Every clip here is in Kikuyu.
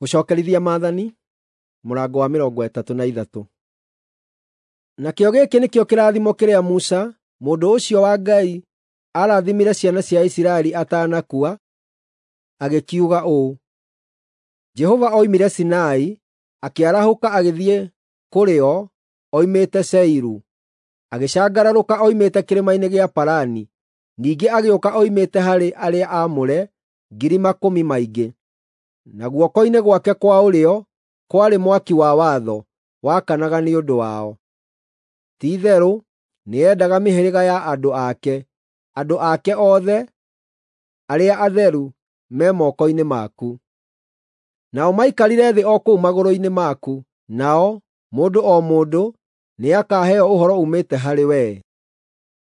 Gũcokerithia Maathani, mũrango wa 33. Nakĩo gĩkĩ nĩkĩo kĩrathimo kĩrĩa Musa, mũndũ ũcio wa Ngai, aarathimire ciana cia Isiraeli atanakua, agĩkiuga ũũ: Jehova oimire Sinai, akĩarahũka agĩthiĩ kũrĩ o oimĩte Seiru, agĩcangararũka oimĩte kĩrĩma-inĩ gĩa Parani, ningĩ agĩũka oimĩte harĩ arĩa aamũre ngiri makũmi maingĩ. Na guoko-inĩ gwake kwa ũrĩo kwarĩ mwaki wa watho wakanaga nĩ ũndũ wao. Ti-itherũ nĩendaga mĩhĩrĩga ya andũ ake; andũ ake othe arĩa atheru me moko-inĩ maku. Nao maikarire thĩ o kũu magũrũ-inĩ maku, nao, mũndũ o mũndũ, nĩakaheo ũhoro uumĩte harĩ wee.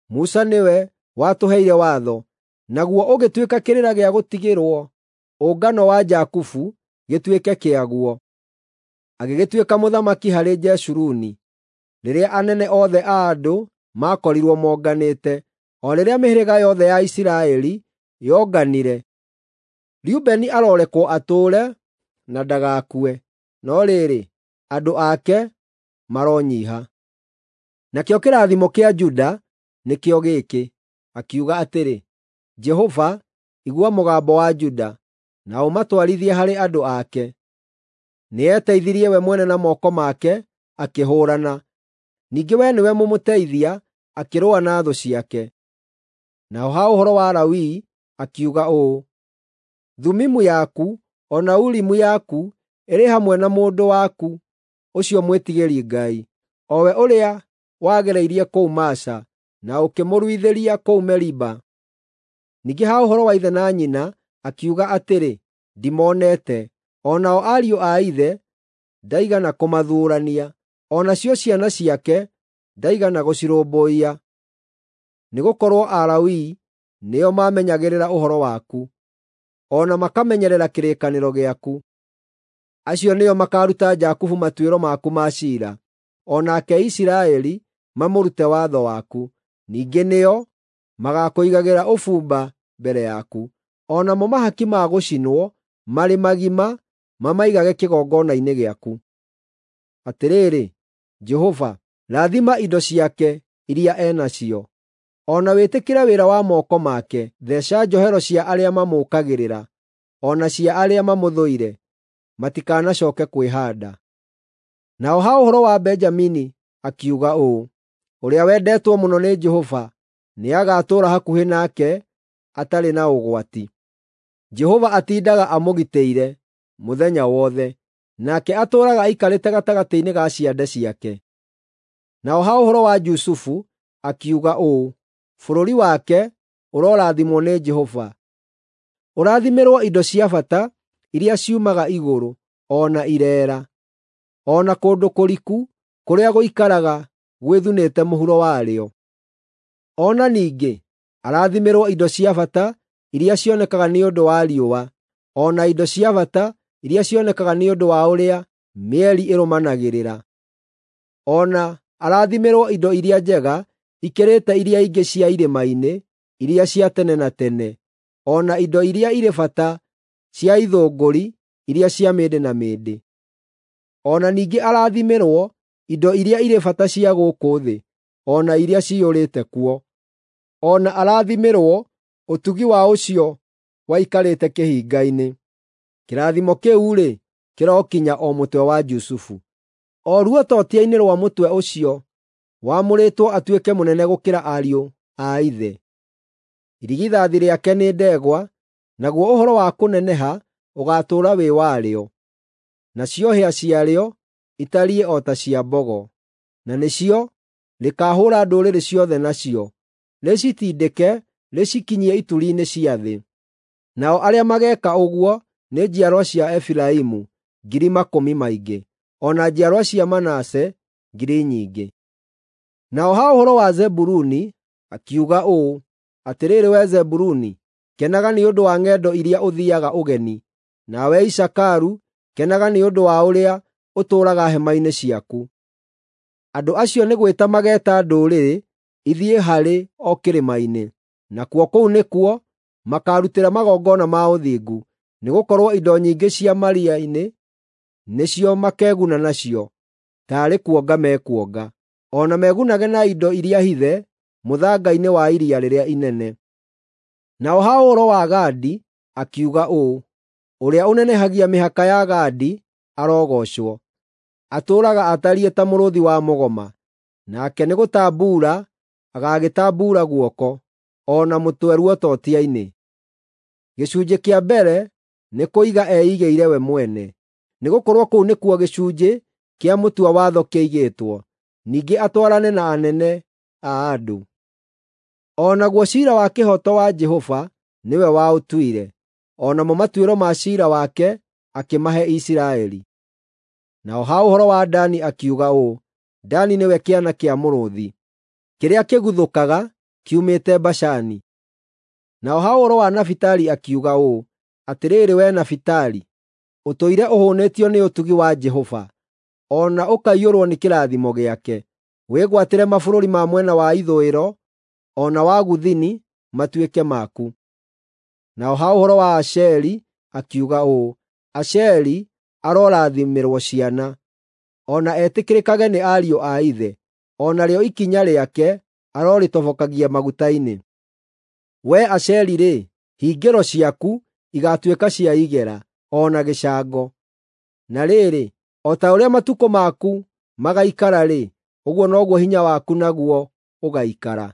Musa nĩwe watũheire watho, naguo ũgĩtuĩka kĩrĩra gĩa gũtigĩrwo ũngano wa Jakubu gĩtuĩke kĩaguo. Agĩgĩtuĩka mũthamaki harĩ Jeshuruni rĩrĩa anene othe a andũ maakorirwo monganĩte, o rĩrĩa mĩhĩrĩga yothe ya Isiraeli yonganire. Rubeni arorekwo atũũre na ndagakue, no rĩrĩ, andũ ake maronyiiha. Nakĩo kĩrathimo kĩa Juda nĩkĩo gĩkĩ, akiuga atĩrĩ: Jehova, igua mũgambo wa Juda, na ũmatwarithie harĩ andũ ake. Nĩeteithirie we mwene na moko make akĩhũũrana, ningĩ wee nĩwe mũmũteithia akĩrũa na thũ ciake. Naho ha ũhoro wa Lawi akiuga ũũ: Thumimu yaku o na Urimu yaku ĩrĩ hamwe na mũndũ waku ũcio mwĩtigĩri Ngai, o we ũrĩa wagereirie kũu Masa, na ũkĩmũruithĩria kũu Meriba. Ningĩ ha ũhoro wa ithe na nyina akiuga atĩrĩ, “Ndimonete,” o nao ariũ a ithe ndaigana kũmathuurania, o nacio ciana ciake ndaigana gũcirũmbũiya. Nĩgũkorwo Alawii nĩo maamenyagĩrĩra ũhoro waku, o na makamenyerera kĩrĩkanĩro gĩaku. Acio nĩo makaaruta Jakubu matuĩro maku ma ciira, o nake Isiraeli mamũrute watho waku. Ningĩ nĩo magaakũigagĩra ũbumba mbere yaku, o namo mahaki ma gũcinwo marĩ magima mamaigage kĩgongona-inĩ gĩaku. Atĩrĩrĩ, Jehova, rathima indo ciake iria e nacio, o na wĩtĩkĩre wĩra wa moko make. Theeca njohero cia arĩa mamũũkagĩrĩra, o na cia arĩa mamũthũire, matikanacooke kwĩhaanda. Naho ha ũhoro wa Benjamini akiuga ũũ: Ũrĩa wendetwo mũno nĩ Jehova nĩagatũũra hakuhĩ nake atarĩ na ũgwati. Jehova atindaga amũgitĩire mũthenya wothe, nake atũũraga aikarĩte gatagatĩ-inĩ ga ciande ciake. Naho ha ũhoro wa Jusufu akiuga ũũ: Bũrũri wake ũrorathimwo nĩ Jehova, ũrathimĩrwo indo cia bata iria ciumaga igũrũ, o na ireera, o na kũndũ kũriku kũrĩa gũikaraga gwĩthunĩte mũhuro warĩo. O na ningĩ arathimĩrwo indo cia bata iria cionekaga nĩ ũndũ wa riũa, o na indo cia bata iria cionekaga nĩ ũndũ wa ũrĩa mĩeri ĩrũmanagĩrĩra. O na arathimĩrwo indo iria njega ikĩrĩte iria ingĩ cia irĩma-inĩ iria cia tene na tene, o na indo iria irĩ bata cia ithũngũri iria cia mĩndĩ na mĩndĩ. O na ningĩ arathimĩrwo indo iria irĩ bata cia gũkũ thĩ, o na iria ciyũrĩte kuo. O na arathimĩrwo ũtugi wa ũcio waikarĩte kĩhinga-inĩ. Kĩrathimo kĩu-rĩ, kĩrokinya o mũtwe wa Jusufu, o ruototia-inĩ rwa mũtwe ũcio wamũrĩtwo atuĩke mũnene gũkĩra ariũ a ithe. Irigithathi rĩake nĩ ndegwa, naguo ũhoro wa kũneneha ũgaatũũra wĩ warĩo, nacio hĩa ciarĩo itariĩ o ta cia mbogo, na nĩcio rĩkaahũũra ndũrĩrĩ ciothe nacio, rĩcitindĩke rĩcikinyie ituri-inĩ cia thĩ. Nao arĩa mageeka ũguo nĩ njiarwa cia Efiraimu ngiri makũmi maingĩ, o na njiarwa cia Manase ngiri nyingĩ. Naho ha ũhoro wa Zebuluni akiuga ũũ: Atĩrĩrĩ wee Zebuluni, kenaga nĩ ũndũ wa ng'endo iria ũthiiaga ũgeni, nawe Isakaru kenaga nĩ ũndũ wa ũrĩa ũtũũraga hema-inĩ ciaku. Andũ acio nĩ gwĩta mageeta ndũrĩrĩ ithiĩ harĩ o kĩrĩma-inĩ, nakuo kũu nĩkuo makaarutĩra magongona ma ũthingu, nĩgũkorwo indo nyingĩ cia maria-inĩ nĩcio makeguna nacio, taarĩ kuonga mekuonga. O na megunage na indo iria hithe mũthanga-inĩ wa iria rĩrĩa inene. Naho ha ũhoro wa Gadi akiuga ũũ: “Ũrĩa ũnenehagia mĩhaka ya Gadi arogoocwo. Atũũraga atariĩ ta mũrũũthi wa mũgoma, nake nĩgũtambuura agagĩtambuura guoko, o na mũtwe ruototia-inĩ. Gĩcunjĩ kĩa mbere nĩ kũiga eigĩire we mwene, nĩgũkorwo kũu nĩkuo gĩcunjĩ kĩa mũtua watho kĩigĩtwo, ningĩ atwarane na anene a andũ. O naguo ciira wa kĩhooto wa Jehova nĩwe waũtuire, o namo matuĩro ma ciira wake akĩmahe Isiraeli. Naho ha ũhoro wa Dani akiuga ũũ: “Dani nĩwe kĩana kĩa mũrũũthi, kĩrĩa kĩguthũkaga kiumĩte Bashani.” Naho ha ũhoro wa Nafitali akiuga ũũ: “Atĩrĩrĩ wee Nafitali, ũtũire ũhũũnĩtio nĩ ũtugi wa Jehova, o na ũkaiyũrwo nĩ kĩrathimo gĩake. Wĩgwatĩre mabũrũri ma mwena wa ithũĩro o na wa gũthini matuĩke maku.” Naho ha ũhoro wa Asheri akiuga ũũ: “Asheri arorathimĩrwo ciana, o na etĩkĩrĩkage nĩ ariũ a ithe, o narĩo ikinya rĩake arorĩtobokagia maguta-inĩ. Wee Asheri-rĩ, hingĩro ciaku igaatuĩka cia igera, o na gĩcango. Na rĩrĩ, o ta ũrĩa matukũ maku magaikara-rĩ, ũguo noguo hinya waku naguo ũgaikara.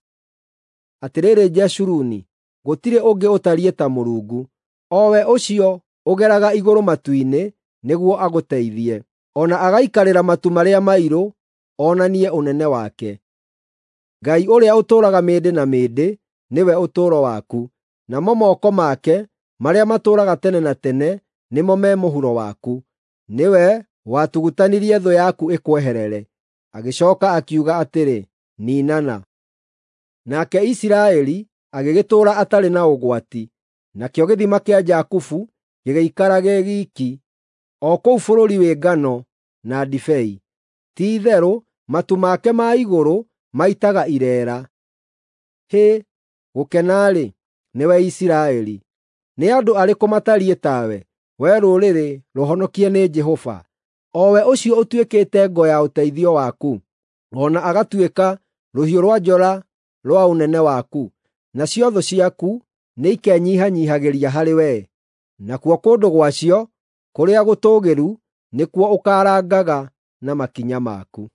Atĩrĩrĩ Jeshuruni, gũtirĩ ũngĩ ũtariĩ ta Mũrungu, o we ũcio ũgeraga igũrũ matu-inĩ nĩguo agũteithie, o na agaikarĩra matu marĩa mairũ onanie ũnene wake. Ngai ũrĩa ũtũũraga mĩndĩ na mĩndĩ nĩwe ũtũũro waku, namo moko make marĩa matũũraga tene na tene nĩmo me mũhuro waku. Nĩwe watugutanirie thũ yaku ĩkweherere, agĩcooka akiuga atĩrĩ, “Niinana.” Nake Isiraeli agĩgĩtũũra atarĩ na ũgwati, nakĩo gĩthima kĩa Jakubu gĩgĩikara gĩ giiki, o kũu bũrũri wĩ ngano na ndibei. Ti-itherũ matu make ma igũrũ maitaga ireera. Hĩ, gũkena-rĩ, nĩwe Isiraeli! Nĩ andũ arĩkũ matariĩ tawe, wee rũrĩrĩ rũhonokie nĩ Jehova, o we ũcio ũtuĩkĩte ngo ya ũteithio waku, o na agatuĩka rũhiũ rwa njora rwa ũnene waku? Nacio thũ ciaku nĩikenyihanyiihagĩria harĩ wee, nakuo kũndũ gwacio kũrĩa gũtũũgĩru nĩkuo ũkaarangaga na makinya maku.